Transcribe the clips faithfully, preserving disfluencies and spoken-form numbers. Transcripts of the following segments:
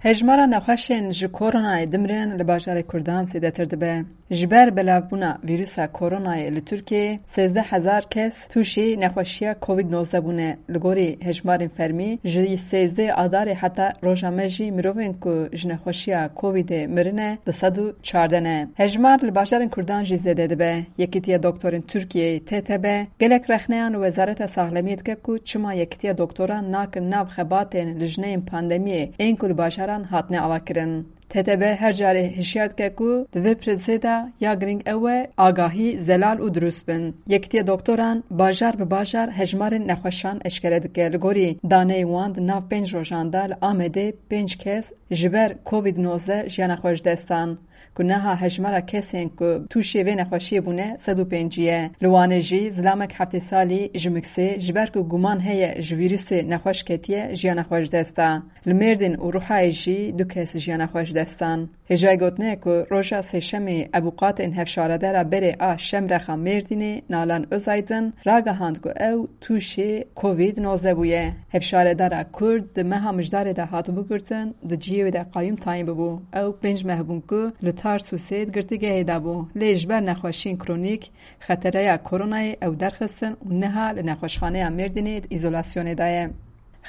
Hejmara nexweşên ji koronayê dimirin li bajarê Kurdan zêdetir dibe. Ji ber belavbûna vîrusa koronayê li Tirkiyeyê sêzdeh hezar kes tûşî nexweşiya Covid nozdeh bûne. Li gorî hejmarên fermî, ji sêzdeh Adarê heta roja me jî mirovên ku ji nexweşiya Covidê mirine du sed û çardeh ne. Hejmar li bajarên Kurdan jî zêde dibe. Yekîtiya Doktorên Tirkiyeyê, T T B, gelek rexneyan li Wezareta Saxlemiyê dike ku çima Yekîtiya Doktoran nakin nav xebatên lijneyên pandemiyê ên ku li bajaran hatine avakirin. T T B her carê hişyar dike ku di vê prosesê de ya girîng ew e agahî, zelal û dirust bin. Yekîtiya Doktoran bajar bi bajar hejmarên nexweşan eşkere dike. Li gorî daneyên wan, di nav pênc rojan de li Amedê pênc kes ji ber Covid nozdeh jiyana xwe ji dest dan. Ku niha hejmara kesên ku tûşê vê nexweşiyê bûne sed û pêncî ye. Li Wanê jî zilamek heftê salî ji Miksê ji ber ku guman heye ji vîrusê nexweş ketiye, jiyana xwe ji dest da. Li Mêrdîn û Ruhayê jî du kes jiyana xwe ji dest dan. Hêjayî gotinê ye ku roja Sêşemê ebûqatên hevşaredara berê a Şemrexa Mêrdînê Nalan Özaydın ragihand ku ew tûşê Covid nozdeh bûye. Hevşaredara Kurd di meha Mijdarê de hatibû girtin, di cihê wê de qayûm tayîn bibû. Ew pênc meh bûn ku li Tarsusê di girtîgehê de bû. Lê ji ber nexweşiyên kronîk, xetereya koronayê ew derxistin û niha li nexweşxaneya Mêrdînê di îzolasyonê de ye.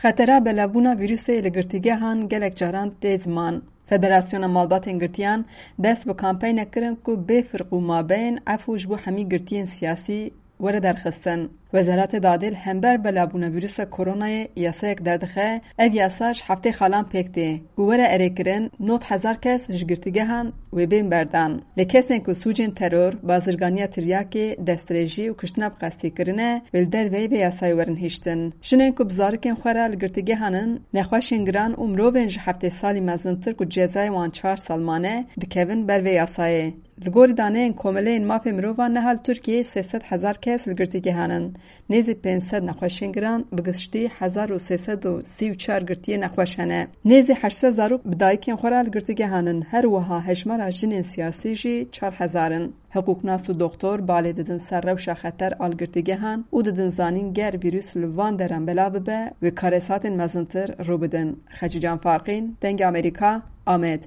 Xetera belavbûna vîrusê li girtîgehan gelek caran tê ziman. Federasyona Malbatên Girtiyan dest bi kampeynek kirin ku bê firq û mabeyn efû ji bo hemî girtiyên siyasî were derxistin. Wezareta Dadê li hember belavbûna vîrusa koronayê yasayek derdixe, ev yasa ji heftê xalan pêk tê ku were erêkirin, nod hezar kes ji girtîgehan wê bên berdan. Lê kesên ku sûcên teror, bazirganiya tiryakê, destdirêjî û kuştina bi qestî kirine, wê li derveyî vê yasayê werin hiştin. Jinên ku bi zarokên xwe re li girtîgehan in, nexweşên giran û mirovên ji heftê salî mezintir ku cezayê wan çar sal mane, dikevin ber vê yasayê. Li gorî daneyên Komeleyên Mafê Mirovan, niha li Tirkiyeyê sê sed hezar kes li girtîgehan in. Nêzî pênc sed nexweşên giran, bi giştî hezar û sê sed û sî û çar girtiyê nexweş hene. Nêzî heşt sed zarok bi dayikên xwe re li girtîgehan in. Her wiha hejmara jinên siyasî jî çar hezar in. Hiqûqnas û doxtor balê didin ser rewşa xeter a li girtîgehan û didin zanîn ger vîrus li van deran belav bibe, wê karesatên mezintir rû bidin. Xecîcan Farqîn, Dengê Amerîka, Amed.